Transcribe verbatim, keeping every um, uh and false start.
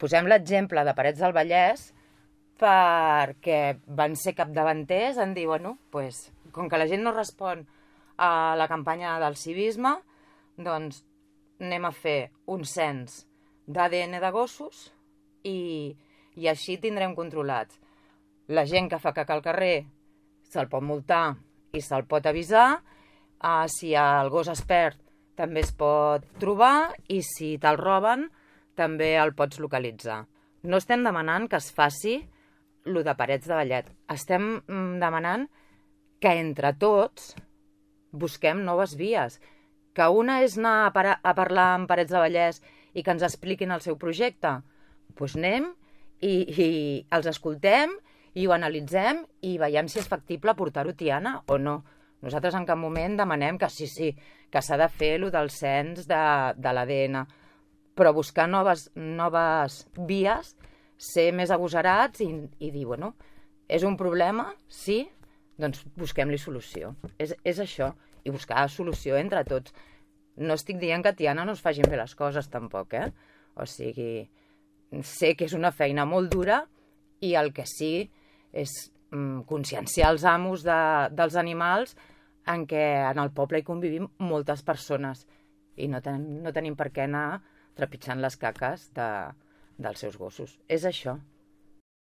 Posem l'exemple de Parets del Vallès perquè van ser capdavanters en dir, bueno, pues, com que la gent no respon a la campanya del civisme, doncs anem a fer un cens d'A D N de gossos i, i així tindrem controlats. La gent que fa caca al carrer se'l pot multar i se'l pot avisar, uh, si el gos es perd també es pot trobar i si te'l roben també el pots localitzar. No estem demanant que es faci lo de Parets de Vallès. Estem demanant que entre tots busquem noves vies. Que una és anar a, par a parlar amb Parets de Vallès i que ens expliquin el seu projecte. Doncs pues anem i, i els escoltem i ho analitzem i veiem si és factible portar-ho a Tiana o no. Nosaltres en cap moment demanem que sí, sí, que s'ha de fer allò del cens de, de l'A D N, però buscar noves, noves vies, ser més agosarats i, i dir, bueno, és un problema? Sí? Doncs busquem-li solució. És, és això, i buscar solució entre tots. No estic dient que a Tiana no es facin bé les coses tampoc, eh? O sigui, sé que és una feina molt dura i el que sí és mm, conscienciar els amos de, dels animals en què en el poble hi convivim moltes persones i no, ten, no tenim per què anar trepitjant les caques de, dels seus gossos. És això.